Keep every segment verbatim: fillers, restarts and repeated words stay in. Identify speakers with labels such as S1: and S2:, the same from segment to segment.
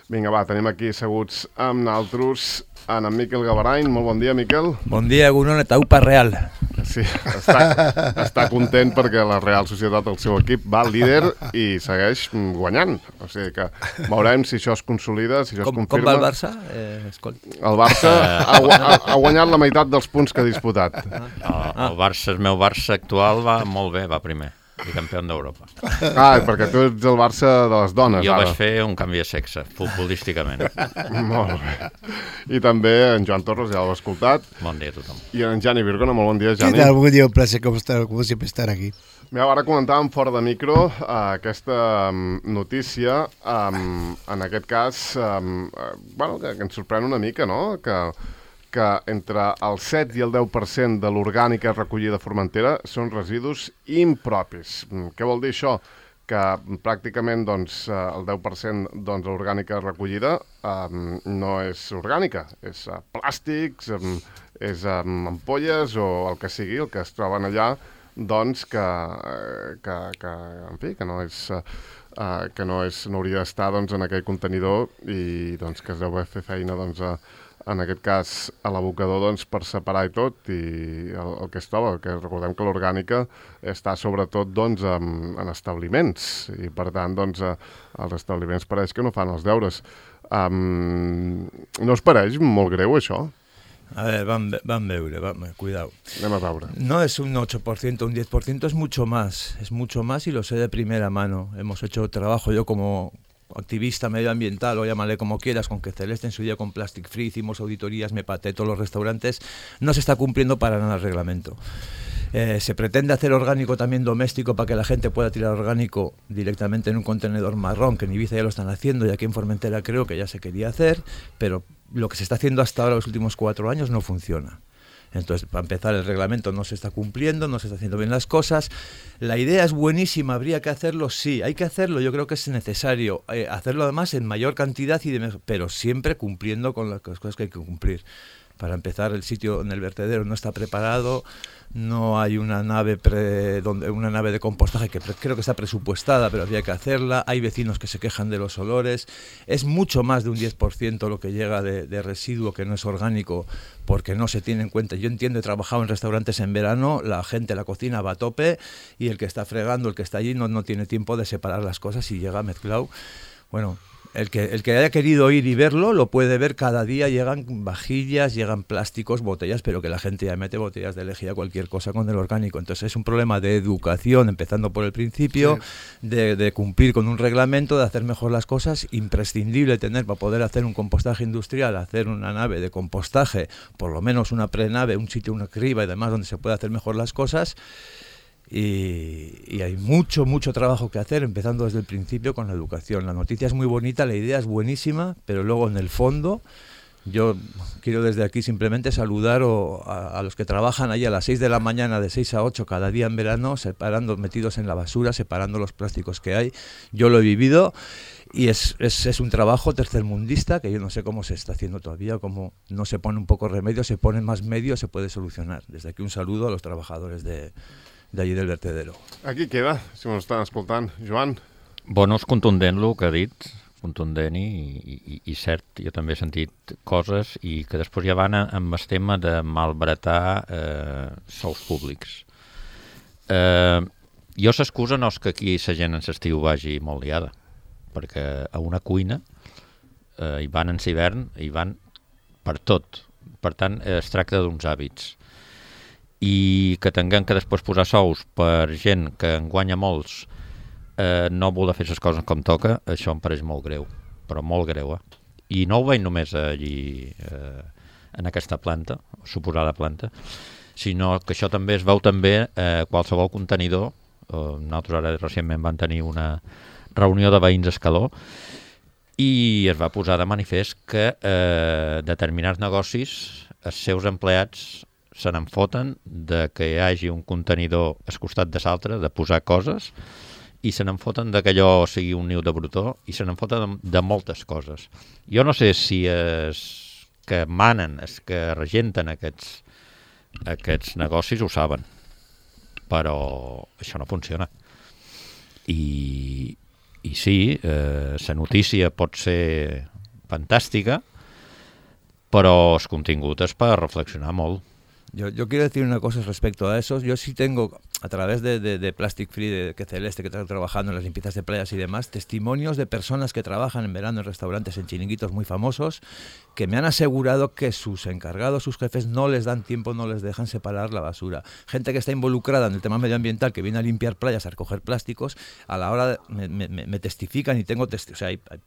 S1: Vinga, va, tenim aquí asseguts amb naltros en en Miquel Gavarany. Molt bon dia, Miquel.
S2: Bon dia, Egunon, eta upa Real.
S1: Sí, està, està content perquè la Real Societat, el seu equip, va líder i segueix guanyant. O sigui que veurem si això es consolida, si això
S2: com,
S1: es confirma.
S2: Com va el Barça? Eh,
S1: el Barça ha, ha, ha guanyat la meitat dels punts que ha disputat.
S3: Ah, el Barça, el meu Barça actual va molt bé, va primer. I campió d'Europa.
S1: Ah, perquè tu ets el Barça de les dones,
S3: jo
S1: ara.
S3: vaig fer un canvi de sexe, futbolísticament.
S1: Molt bé. I també en Joan Torres, ja l'ho he escoltat.
S3: Bon dia a tothom.
S1: I en Jani Virgona, molt bon dia, Jani.
S4: ¿Qué tal? Buen día, un placer, como, estar, como siempre, estar aquí.
S1: Mira, ara comentàvem fora de micro uh, aquesta um, notícia, um, en aquest cas, um, uh, bueno, que, que ens sorprèn una mica, no?, que... que entre el set i el deu per cent de l'orgànica recollida a Formentera són residus impropis. Què vol dir això? Que pràcticament doncs, el deu per cent doncs, de l'orgànica recollida um, no és orgànica, és uh, plàstics, um, és um, ampolles o el que sigui, el que es troben allà, doncs que, que, que en fi, que no és... Uh, Uh, que no, és, no hauria d'estar doncs, en aquell contenidor i doncs, que es deu fer feina doncs, a, en aquest cas a l'abocador doncs, per separar i tot i el, el que es troba, que recordem que l'orgànica està sobretot doncs, en, en establiments i per tant doncs, uh, els establiments pareix que no fan els deures. Um, no us pareix molt greu això?
S2: A ver, van, van veure, van, cuidado.
S1: Anem a veure.
S2: No es un ocho por ciento, un diez por ciento, es mucho más, es mucho más y lo sé de primera mano. Hemos hecho trabajo, yo como activista medioambiental, o llámale como quieras, con que Celeste en su día con Plastic Free hicimos auditorías, me pateé todos los restaurantes, no se está cumpliendo para nada el reglamento. Eh, se pretende hacer orgánico también doméstico para que la gente pueda tirar orgánico directamente en un contenedor marrón, que en Ibiza ya lo están haciendo y aquí en Formentera creo que ya se quería hacer, pero lo que se está haciendo hasta ahora los últimos cuatro años no funciona. Entonces, para empezar, el reglamento no se está cumpliendo, no se está haciendo bien las cosas. La idea es buenísima, habría que hacerlo, sí, hay que hacerlo, yo creo que es necesario eh, hacerlo además en mayor cantidad, y de pero siempre cumpliendo con las cosas que hay que cumplir. Para empezar, el sitio en el vertedero no está preparado, no hay una nave pre, donde, una nave de compostaje que pre, creo que está presupuestada, pero habría que hacerla. Hay vecinos que se quejan de los olores. Es mucho más de un diez por ciento lo que llega de, de residuo que no es orgánico, porque no se tiene en cuenta. Yo entiendo, he trabajado en restaurantes en verano, la gente, la cocina va a tope y el que está fregando, el que está allí, no, no tiene tiempo de separar las cosas y llega mezclado. Bueno... El que, el que haya querido ir y verlo, lo puede ver cada día, llegan vajillas, llegan plásticos, botellas, pero que la gente ya mete botellas de lejía, cualquier cosa con el orgánico. Entonces es un problema de educación, empezando por el principio, sí. de, de cumplir con un reglamento, de hacer mejor las cosas, imprescindible tener para poder hacer un compostaje industrial, hacer una nave de compostaje, por lo menos una prenave, un sitio, una criba y demás, donde se pueda hacer mejor las cosas. Y, y hay mucho, mucho trabajo que hacer, empezando desde el principio con la educación. La noticia es muy bonita, la idea es buenísima, pero luego en el fondo, yo quiero desde aquí simplemente saludar o, a, a los que trabajan ahí a las seis de la mañana, de seis a ocho cada día en verano, separando, metidos en la basura, separando los plásticos que hay. Yo lo he vivido y es, es, es un trabajo tercermundista que yo no sé cómo se está haciendo todavía, cómo no se pone un poco remedio, se ponen más medios, se puede solucionar. Desde aquí un saludo a los trabajadores de... d'allí del vertedero.
S1: Aquí queda, si m'ho estan escoltant. Joan?
S3: Bueno, és contundent el que ha dit, contundent i, i, i cert. Jo també he sentit coses i que després ja van amb el tema de malbaratar eh, sous públics. Eh, jo s'excusa no és que aquí la gent en l'estiu vagi molt liada, perquè a una cuina eh, hi van en l'hivern, hi van per tot. Per tant, es tracta d'uns hàbits. I que tinguem que després posar sous per gent que en guanya molts eh, no voler fer les coses com toca, això em pareix molt greu, però molt greu, eh? I no ho veig només allí eh, en aquesta planta, suposada planta, sinó que això també es veu també a eh, qualsevol contenidor. Eh, nosaltres ara recentment vam tenir una reunió de veïns a Escaló i es va posar de manifest que eh, determinats negocis, els seus empleats se n'en foten de que hi hagi un contenidor al costat de l'altre, de posar coses, i se n'en foten de que allò sigui un niu de brutó, i se n'en foten de, de moltes coses. Jo no sé si els que manen, els que regenten aquests, aquests negocis ho saben, però això no funciona. I, i sí, eh, la notícia pot ser fantàstica, però el contingut és per reflexionar molt.
S2: Yo, yo quiero decir una cosa respecto a eso. Yo sí tengo, a través de, de, de Plastic Free, de que Celeste, que está trabajando en las limpiezas de playas y demás, testimonios de personas que trabajan en verano en restaurantes, en chiringuitos muy famosos, que me han asegurado que sus encargados, sus jefes, no les dan tiempo, no les dejan separar la basura. Gente que está involucrada en el tema medioambiental, que viene a limpiar playas, a recoger plásticos, a la hora de, me, me, me testifican y tengo testi- o sea, hay, hay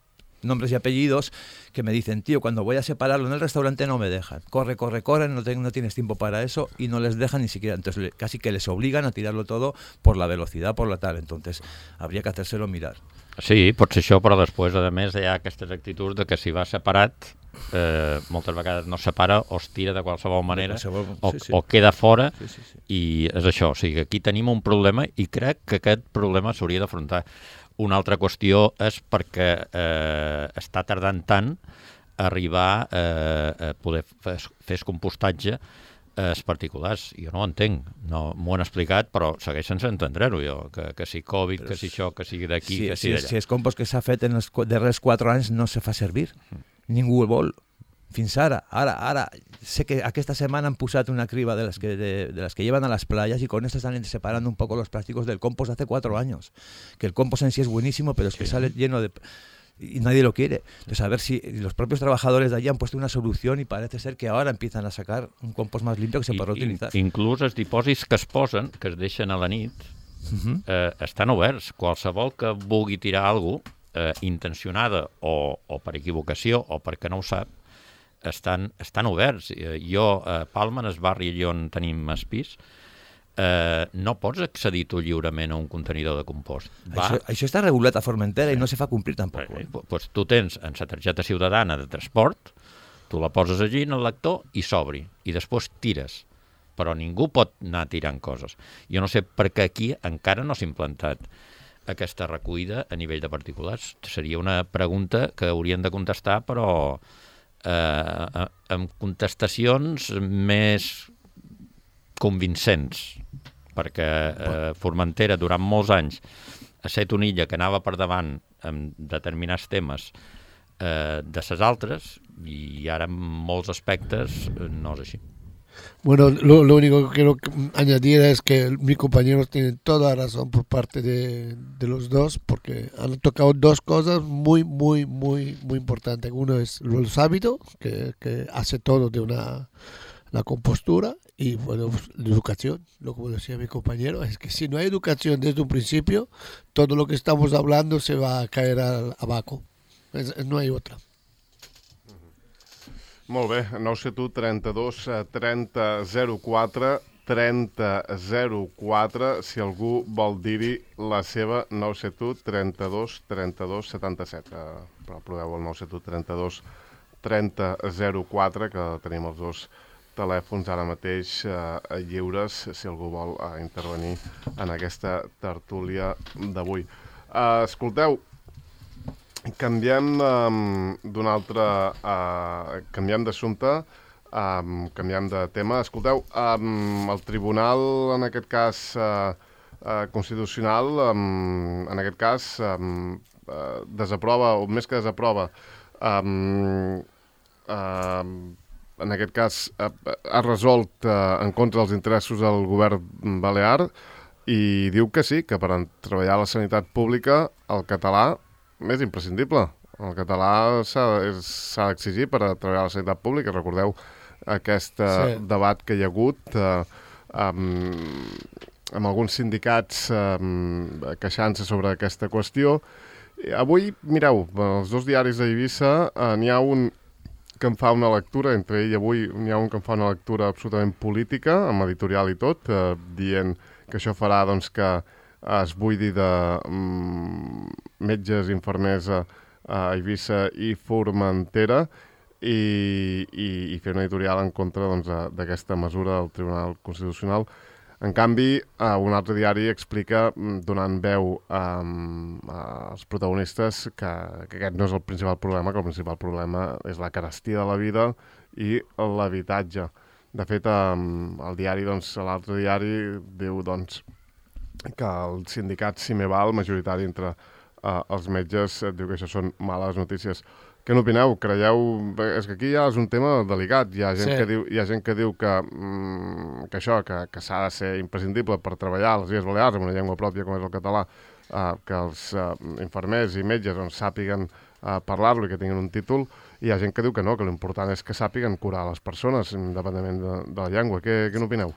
S2: nombres y apellidos que me dicen, tío, cuando voy a separarlo en el restaurante no me dejan, corre, corre, corre, no, te, no tienes tiempo para eso, y no les dejan ni siquiera, entonces le, casi que les obligan a tirarlo todo por la velocidad, por la tal, entonces habría que hacérselo mirar.
S3: Sí, pot ser això, però després, a més, hi ha aquestes actituds de que si va separat, eh, moltes vegades no separa o es tira de qualsevol manera,
S2: qualsevol,
S3: o,
S2: sí, sí.
S3: o queda fora,
S2: Sí, sí, sí.
S3: i és això, o sigui, aquí tenim un problema i crec que aquest problema s'hauria d'afrontar. Una altra qüestió és perquè eh, està tardant tant a arribar eh, a poder fer, fer el compostatge els particulars. Jo no ho entenc, no m'ho han explicat, però segueix sense entendre-ho jo, que, que si Covid, però que si això, que sigui d'aquí,
S2: si,
S3: que
S2: si,
S3: sigui d'allà.
S2: si el compost que s'ha fet en els darrers quatre anys no se fa servir, ningú el vol. Fins ara, ara, ara, sé que aquesta setmana han posat una criba de las que, de, de las que llevan a las playas y con esto están separando un poco los plásticos del compost de hace cuatro años. Que el compost en sí es buenísimo, pero es que sí. Sale lleno de... y nadie lo quiere. Entonces, a ver si los propios trabajadors de allí han puesto una solución y parece ser que ahora empiezan a sacar un compost más limpio que se podrà utilitzar.
S3: Inclús els dipòsits que es posen, que es deixen a la nit, uh-huh. eh, estan oberts. Qualsevol que vulgui tirar alguna cosa, eh, intencionada o, o per equivocació o perquè no ho sap, estan, estan oberts. Jo, a Palma, en el barri on tenim el pis, eh, no pots accedir tu lliurement a un contenidor de compost. Va...
S2: Això, això està regulat a Formentera i no se fa complir tampoc.
S3: Eh, pues tu tens en la targeta ciutadana de transport, tu la poses allí en el lector i s'obri, i després tires. Però ningú pot anar tirant coses. Jo no sé per què aquí encara no s'ha implantat aquesta recollida a nivell de particulars. Seria una pregunta que haurien de contestar, però eh, amb contestacions més convincents, perquè eh, Formentera durant molts anys ha estat una illa que anava per davant en determinats temes eh, de ses altres, i ara en molts aspectes eh, no és així.
S4: Bueno, lo, lo único que quiero añadir es que mis compañeros tienen toda la razón por parte de, de los dos, porque han tocado dos cosas muy, muy, muy, muy importantes. Uno es los hábitos, que, que hace todo de una la compostura, y bueno, pues, la educación. Lo que decía mi compañero es que si no hay educación desde un principio, todo lo que estamos hablando se va a caer al, abajo. Es, no hay otra.
S1: Molt bé, nou set u trenta-dos trenta zero quatre trenta zero quatre, si algú vol dir-hi la seva, nou set u trenta-dos trenta-dos setanta-set. Uh, però proveu el nou set u trenta-dos trenta zero quatre, que tenim els dos telèfons ara mateix uh, lliures, si algú vol uh, intervenir en aquesta tertúlia d'avui. Uh, escolteu, canviem um, d'un altre... Uh, canviem d'assumpte, um, canviem de tema. Escolteu, um, el Tribunal, en aquest cas uh, uh, constitucional, um, en aquest cas um, uh, desaprova, o més que desaprova, um, uh, en aquest cas uh, ha resolt uh, en contra dels interessos del govern balear i diu que sí, que per treballar a la sanitat pública el català és imprescindible. El català s'ha d'exigir per a treballar a la sanitat pública. Recordeu aquest sí. debat que hi ha hagut eh, amb, amb alguns sindicats eh, queixant-se sobre aquesta qüestió. Avui, mireu, els dos diaris d'Eivissa eh, n'hi ha un que em fa una lectura, entre ell avui n'hi ha un que em fa una lectura absolutament política, amb editorial i tot, eh, dient que això farà doncs, que es buidi de mm, metges, infermers a, a Eivissa i Formentera i, i, i fer una editorial en contra doncs, d'aquesta mesura del Tribunal Constitucional. En canvi, uh, un altre diari explica, donant veu um, als protagonistes, que, que aquest no és el principal problema, que el principal problema és la carestia de la vida i l'habitatge. De fet, um, el diari, doncs, l'altre diari diu doncs, que el sindicat Cimeval, majoritari entre uh, els metges, diu que això són males notícies. Què n'opineu? Creieu... És que aquí ja és un tema delicat. Hi ha gent,
S4: Sí.
S1: que, diu, hi ha gent que diu que, mm, que això, que, que s'ha de ser imprescindible per treballar a les Illes Balears amb una llengua pròpia com és el català, uh, que els uh, infermers i metges doncs, sàpiguen uh, parlar-lo i que tinguin un títol. I hi ha gent que diu que no, que l'important és que sàpiguen curar les persones, independentment de, de la llengua. Què, què n'opineu?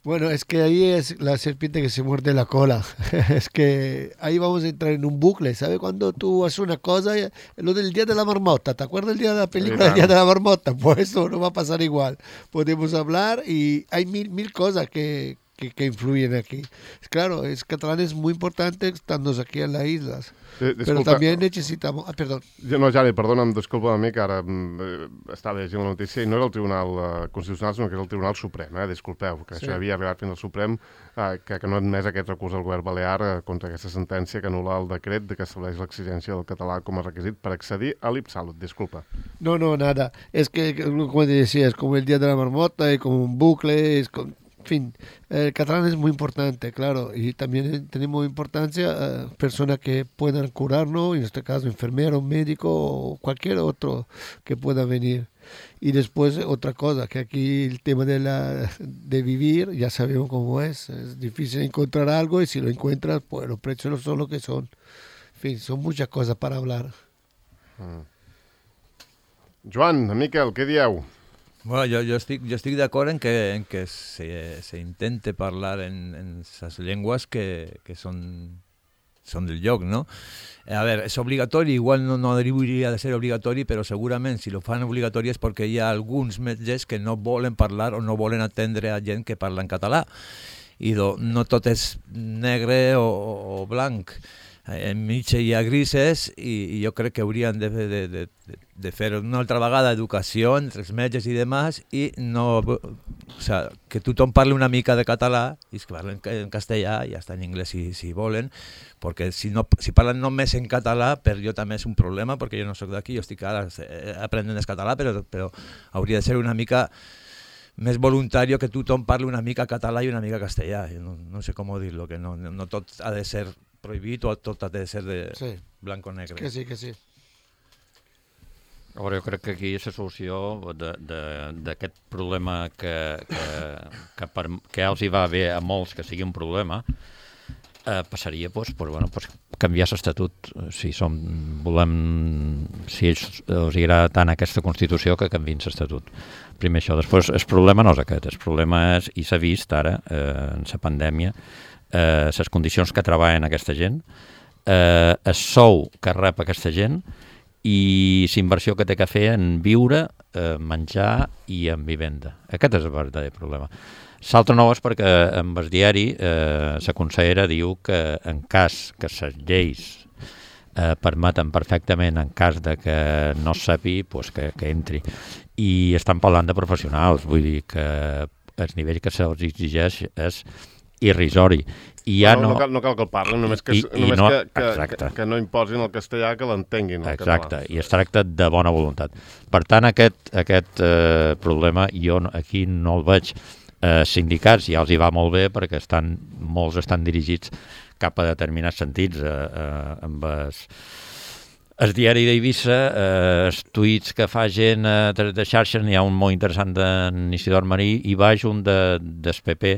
S4: Bueno, es que ahí es la serpiente que se muerde la cola. Es que ahí vamos a entrar en un bucle. ¿Sabe cuando tú haces una cosa? Lo del día de la marmota. ¿Te acuerdas del día de la película del día de la marmota? Pues eso no va a pasar igual. Podemos hablar y hay mil, mil cosas que, que, que influyen aquí. Claro, es catalán es muy importante estando aquí en las islas.
S1: Eh,
S4: Pero también necesitamos... Ah, perdón.
S1: No, Jani, perdona'm, disculpa una mica, ara eh, estava llegint la notícia i no era el Tribunal eh, Constitucional, sinó que és el Tribunal Suprem, eh? Disculpeu, que sí. Això havia arribat fins al Suprem, eh, que, que no ha admès aquest recurs al govern balear eh, contra aquesta sentència que anul·la el decret de que estableix l'exigència del català com a requisit per accedir a l'IPSALUT. Disculpa.
S4: No, no, nada. Es que, como te decía, es como el día de la marmota, es como un bucle, es con... En fin, el catalán es muy importante, claro, y también tenemos importancia a uh, personas que puedan curarnos, en este caso enfermero, médico o cualquier otro que pueda venir. Y después otra cosa, que aquí el tema de, la, de vivir, ya sabemos cómo es, es difícil encontrar algo y si lo encuentras, pues los precios son lo que son. En fin, son muchas cosas para hablar.
S1: Mm. Joan, Miquel, què dieu?
S2: Bueno, jo, jo estic, jo estic d'acord en que, en que se, se intente parlar en, en esas llengües que, que són, són del lloc, no? A veure, és obligatori, igual no, no hauria de ser obligatori, però segurament si lo fan obligatori és perquè hi ha alguns metges que no volen parlar o no volen atendre a gent que parla en català. I do, no tot és negre o, o blanc. Enmig hi ha grises i, i jo crec que haurien de, de, de, de fer una altra vegada educació entre els metges i demás i no, o sea, que tothom parli una mica de català i es que parlen en castellà i ja està en anglès si, si volen, perquè si, no, si parlen només en català per jo també és un problema perquè jo no soc d'aquí, jo estic ara aprenent el català, però, però hauria de ser una mica més voluntari que tothom parli una mica català i una mica castellà, no, no sé com dir-lo, que no, no tot ha de ser prohibit o tot ha de ser de sí. blanc o negre.
S4: Que sí, que sí.
S3: A veure, jo crec que aquí la solució d'aquest problema que, que, que, per, que els hi va bé a molts que sigui un problema, eh, passaria pues, per, bueno, pues, canviar l'estatut. Si som, volem, si ells els agrada tant aquesta Constitució, que canviïn l'estatut. Primer això. Després, el problema no és aquest. El problema és, i s'ha vist ara, eh, en la pandèmia, eh, les condicions que treballen aquesta gent, eh, el sou que rep aquesta gent i la inversió que té que fer en viure, eh, menjar i en vivenda. Aquest és el verdader problema. L'altre no és perquè en el diari eh, la consellera diu que en cas que les lleis eh, permeten perfectament, en cas de que no sapi, pues que, que entri. I estan parlant de professionals, vull dir que el nivell que se'ls exigeix és irrisori. I ja
S1: no,
S3: no,
S1: no, cal, no cal que el parlin, només que,
S3: I,
S1: només
S3: i no,
S1: que, que, que, que no imposin el castellà, que l'entenguin el
S3: exacte,
S1: català.
S3: I es tracta de bona voluntat. Per tant, aquest, aquest eh, problema jo aquí no el veig. Eh, sindicats ja els hi va molt bé perquè estan, molts estan dirigits cap a determinats sentits. Eh, eh, amb es, el diari d'Eivissa, eh, els tuits que fa gent eh, de, de xarxa, n'hi ha un molt interessant d'en Isidor Marí, i baix un de, del P P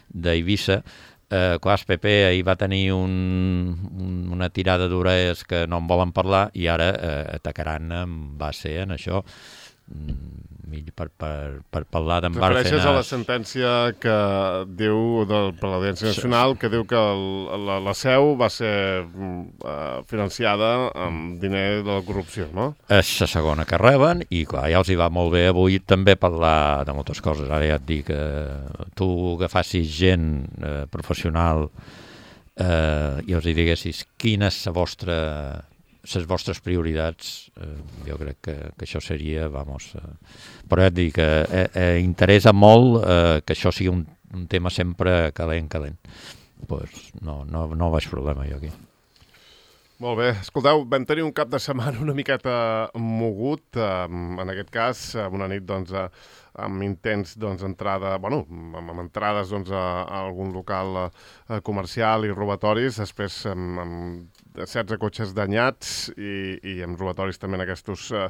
S3: d'Eivissa. Eh, clar, el P P ahir va tenir un, un, una tirada d'orelles que no en volen parlar i ara eh, atacaran amb base en això. Mm, per, per, per parlar d'en Bárcenas.
S1: Refereixes a la sentència que diu del, per l'Audiència Nacional, que diu que el, la, la seu va ser uh, financiada amb diner de la corrupció, no?
S3: És la segona que reben i clar, ja els hi va molt bé avui també parlar de moltes coses. Ara ja et dic que tu agafassis gent eh, professional eh, i els hi diguessis quina és la vostra... les vostres prioritats, eh, jo crec que, que això seria, vamos, eh, però ja et dic que eh, eh, interessa molt eh, que això sigui un, un tema sempre calent, calent. Pues no, no, no veig problema jo aquí.
S1: Molt bé. Escolteu, vam tenir un cap de setmana una miqueta mogut, eh, en aquest cas, una nit, doncs, eh, amb intents, doncs, entrada, bueno, amb, amb entrades, doncs, a, a algun local eh, comercial i robatoris, després, amb, amb setze cotxes danyats i, i amb robatoris també en aquests uh,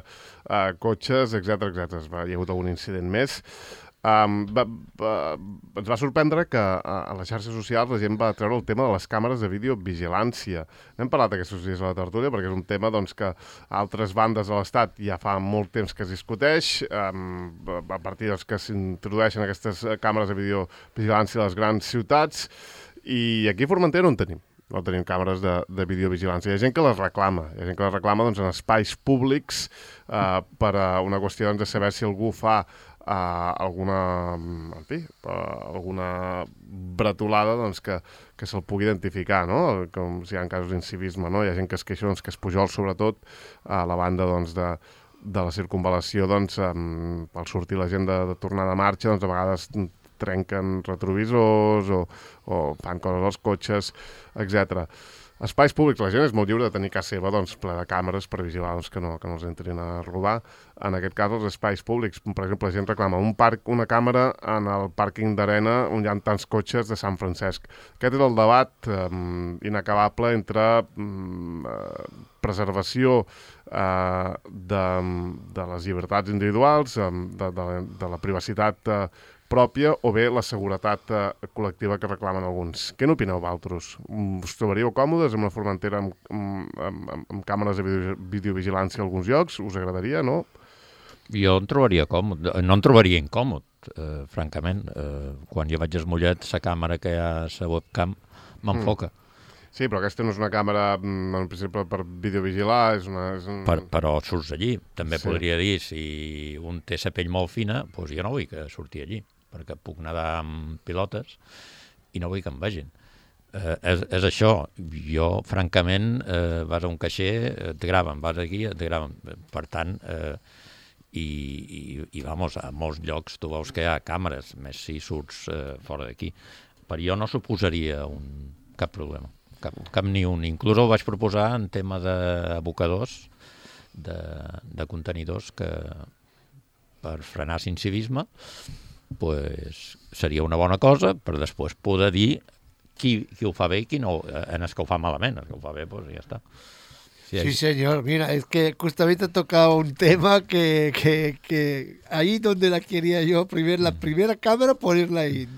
S1: uh, cotxes, etcètera etcètera. Hi ha hagut algun incident més. Um, va, va, ens va sorprendre que a, a les xarxes socials la gent va treure el tema de les càmeres de videovigilància. N'hem parlat aquests dies a la tertúlia perquè és un tema doncs, que a altres bandes de l'Estat ja fa molt temps que es discuteix, um, a partir doncs, que s'introdueixen aquestes càmeres de videovigilància a les grans ciutats, i aquí a Formentera no en tenim. No tenim càmeres de, de videovigilància. Hi ha gent que les reclama. Hi ha gent que les reclama doncs, en espais públics uh, per a una qüestió doncs, de saber si algú fa Uh, alguna, en fi, uh, alguna bretolada doncs, que, que se'l pugui identificar, no? Com si hi ha casos d'incivisme, no? Hi ha gent que es queixa doncs, que es pujol, sobretot, a la banda doncs, de, de la circunvalació, doncs, um, al sortir la gent de, de tornar de marxa, doncs, a vegades trenquen retrovisors o, o fan coses als cotxes, etcètera. Espais públics, la gent és molt lliure de tenir casa seva doncs, ple de càmeres per vigilar doncs, que, no, que no els entrin a robar. En aquest cas, els espais públics, per exemple, la gent reclama un parc, una càmera en el pàrquing d'Arena on hi ha tants cotxes de Sant Francesc. Aquest és el debat eh, inacabable entre eh, preservació eh, de, de les llibertats individuals, eh, de, de, de la privacitat eh, pròpia o bé la seguretat eh, col·lectiva que reclamen alguns. Què n'opineu, vosaltres? Us trobaríeu còmodes amb una Formentera amb, amb, amb, amb càmeres de video, videovigilància a alguns llocs? Us agradaria, no?
S3: Jo em trobaria còmode. No em trobaria incòmode, eh, francament. Eh, quan jo vaig a Mollet, la càmera que hi ha a la webcam m'enfoca.
S1: Mm. Sí, però aquesta no és una càmera, en principi, per videovigilar, és una... És un...
S3: per, però surts allí. També
S1: sí.
S3: Podria dir, si un té la pell molt fina, doncs jo no vull que surti allí, perquè puc nedar amb pilotes i no vull que em vegin. Eh, és, és això. Jo, francament, eh, vas a un caixer, et graven, vas aquí, et graven. Per tant, eh, i, i, i vamos, a molts llocs tu veus que hi ha càmeres, més si surts eh, fora d'aquí. Per jo no suposaria un, cap problema. Cap, cap ni un. Inclús ho vaig proposar en tema d'abocadors, de, de contenidors, que per frenar l'incivisme pues, seria una bona cosa per després poder dir qui, qui ho fa bé i qui no, en el que ho fa malament. El que ho fa bé, pues ja està.
S4: Sí, sí, señor. Mira, es que justamente ha tocado un tema que, que, que ahí donde la quería yo, primer, la primera cámara ponerla ahí.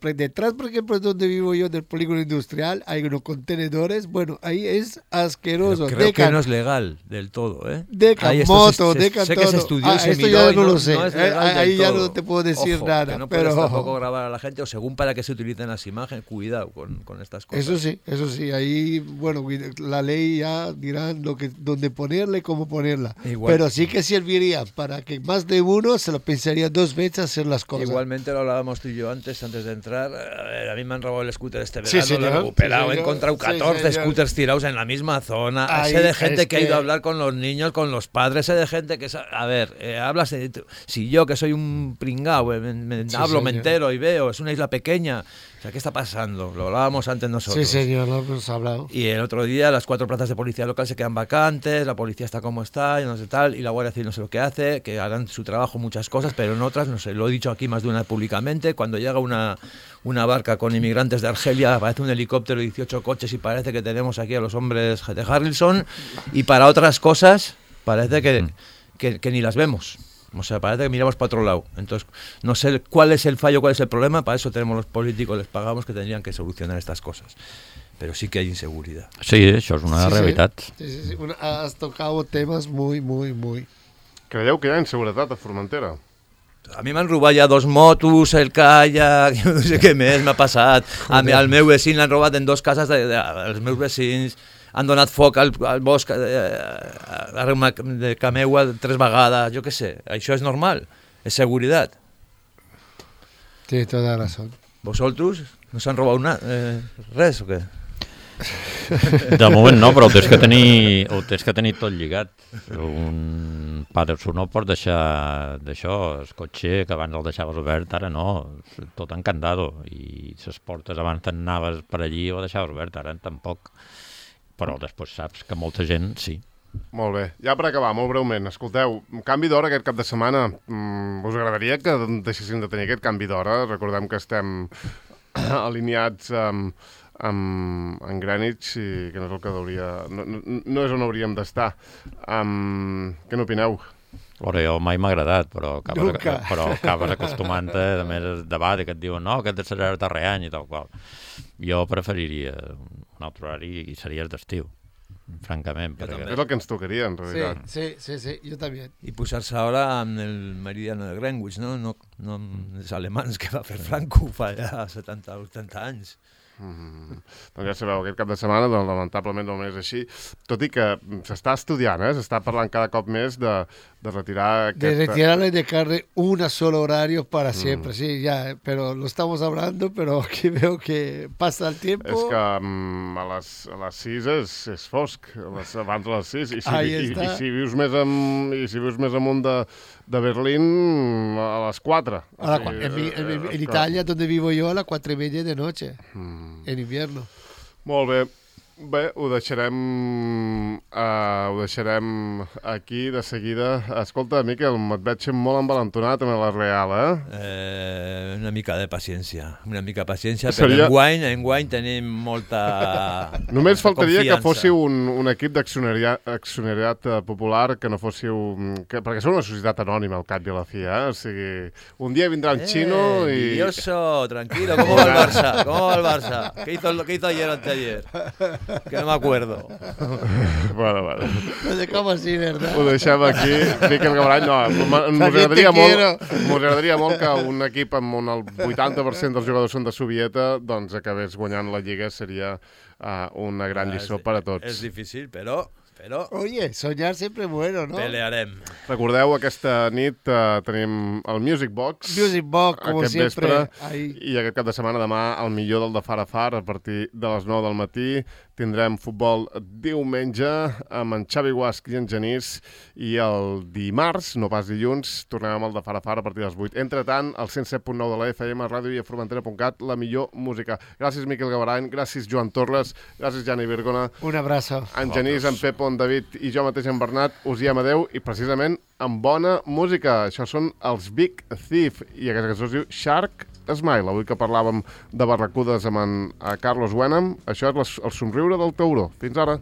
S4: Detrás, por ejemplo, donde vivo yo, del polígono industrial, hay unos contenedores. Bueno, ahí es asqueroso.
S2: Pero creo
S4: Decan,
S2: que no es legal del todo, ¿eh?
S4: Decan moto,
S2: se,
S4: Decan
S2: sé
S4: todo.
S2: que se estudió
S4: ah,
S2: y se
S4: esto
S2: miró
S4: ya
S2: y
S4: no,
S2: no
S4: lo sé.
S2: No es
S4: eh, ahí ya
S2: todo.
S4: no te puedo decir
S2: Ojo,
S4: nada.
S2: Que no
S4: pero...
S2: puedes tampoco grabar a la gente, o según para qué se utilizan las imágenes, cuidado con, con estas cosas.
S4: Eso sí, eso sí. Ahí, bueno, la ley ya dirá lo que, dónde ponerla y cómo ponerla. Igual. Pero sí que serviría para que más de uno se lo pensaría dos veces hacer las cosas.
S2: Igualmente lo hablábamos tú y yo antes, antes de entrar. A, ver, a mí me han robado el scooter este verano,
S4: sí,
S2: lo he recuperado, sí, he encontrado catorce sí, scooters tirados en la misma zona. Ahí, sé de gente que, que ha ido a hablar con los niños, con los padres, sé de gente que... A ver, eh, hablas de... Si yo, que soy un pringao, me, me sí, hablo, señor. Me entero y veo, es una isla pequeña. O sea, ¿qué está pasando? Lo hablábamos antes nosotros.
S4: Sí, señor, lo hemos hablado.
S2: Y el otro día las cuatro plazas de policía local se quedan vacantes, la policía está como está, y no sé tal, y la Guardia Civil no sé lo que hace, que harán su trabajo muchas cosas, pero en otras, no sé, lo he dicho aquí más de una vez públicamente, cuando llega una, una barca con inmigrantes de Argelia, aparece un helicóptero y dieciocho coches y parece que tenemos aquí a los hombres de Harrelson, y para otras cosas parece que, que, que ni las vemos. O sea, parece que miramos para otro lado. Entonces, no sé cuál es el fallo, cuál es el problema. Para eso tenemos los políticos, les pagamos, que tendrían que solucionar estas cosas. Pero sí que hay inseguridad.
S3: Sí, això és una
S4: sí,
S3: realitat.
S4: Sí, sí, sí. Una, has tocado temas muy, muy, muy...
S1: Creieu que hi ha inseguretat a Formentera?
S2: A mi m'han robat ja dos motos, el kayak, no sé què més m'ha passat. A mi, al meu vecin l'han robat en dos cases de, de, dels meus vecins. Han donat foc al, al bosc eh, de Cameua tres vegades, jo què sé. Això és normal, és seguretat.
S4: Tienes toda la razón.
S2: ¿Vosotros? ¿No s'han robat una, eh, res o què?
S3: De moment no, però ho tens que tenir, ho tens que tenir tot lligat. Un Patterson no pots deixar d'això, el cotxe que abans el deixaves obert, ara no, tot encandado. I les portes abans t'anaves per allí o deixaves obert, ara tampoc. Però després saps que molta gent sí.
S1: Molt bé. Ja per acabar, molt breument, escolteu, canvi d'hora aquest cap de setmana. Mm, us agradaria que deixéssim de tenir aquest canvi d'hora? Recordem que estem alineats amb, amb, amb Greenwich i que no és el que hauria... No, no, no és on hauríem d'estar. Um, què n'opineu?
S3: Bueno, jo mai m'ha agradat, però acabes, però acabes acostumant-te, a més, el debat que et diuen no, que et serà darrer any i tal qual. Jo preferiria un altre horari i seria d'estiu, francament. Perquè...
S1: És el que ens tocaria, en realitat.
S4: Sí, sí, sí, sí, jo també.
S2: I posar-se ara amb el meridiano de Greenwich, no? No, no amb els alemans que va fer Franco fa ja setanta o vuitanta anys.
S1: Mm-hmm. Doncs ja sabeu, aquest cap de setmana doncs, lamentablement no és així, tot i que s'està estudiant, eh? S'està parlant cada cop més de, de retirar aquest...
S4: De retirarle y dejarle un solo horario para siempre, mm. sí, ya, pero lo estamos hablando, pero aquí veo que pasa el tiempo...
S1: És que um, a les, a les sis és, és fosc, a les, abans de les sis, i si, i, i, i si vius més, amb, i si vius més amunt de, de Berlín, a les quatre.
S4: A la, o sigui, en, mi, en, en, en Italia, donde vivo yo, a las cuatro y media de noche. Mm. En invierno.
S1: Molt bé. Bé, ho deixarem, uh, ho deixarem aquí de seguida. Escolta, Miquel, et veig molt envalentonat amb la Real, eh?
S2: eh? Una mica de paciència, una mica de paciència,
S1: Seria...
S2: però enguany, enguany tenim molta
S1: Només faltaria
S2: confiança.
S1: Que fóssiu un, un equip d'accionariat popular, que no fóssiu... Que, perquè sou una societat anònima, al cap i a la fi, eh? O sigui, un dia vindrà un
S2: eh,
S1: xino i...
S2: Envidioso, tranquilo, ¿cómo va el Barça? ¿Cómo va el Barça? ¿Qué hizo, qué hizo ayer o anteayer? Que no me acuerdo.
S1: Bueno, bueno.
S4: Lo dejamos así, ¿verdad?
S1: Ho deixem aquí. Miquel Gabrany, no, m'ho agradaria molt, m'ho agradaria molt que un equip amb on el vuitanta per cent dels jugadors són de Sovieta, doncs acabés guanyant la Lliga, seria uh, una gran lliçó per a tots.
S2: És difícil, però... Però...
S4: Oye, soñar sempre bueno, no?
S2: Pelearem.
S1: Recordeu, aquesta nit uh, tenim el Music Box.
S4: Music Box, com sempre.
S1: Vespre, i aquest cap de setmana demà el millor del de Far a Far a partir de les nou del matí. Tindrem futbol diumenge amb en Xavi Guasc i en Genís, i el dimarts, no pas dilluns, tornem amb el de Far a Far a partir de les vuit. Entretant, al cent set punt nou de la F M, ràdio i a formentera punt cat, la millor música. Gràcies, Miquel Gabrany, gràcies, Joan Torres, gràcies, Jani Virgona.
S4: Un abraço.
S1: En Genís, en Pepo, en David i jo mateix, en Bernat, us diem adeu, i precisament amb bona música. Això són els Big Thief, i aquesta cançó es diu Shark Smile. Avui que parlàvem de barracudes amb en Carlos Wenham, això és el somriure del tauró. Fins ara.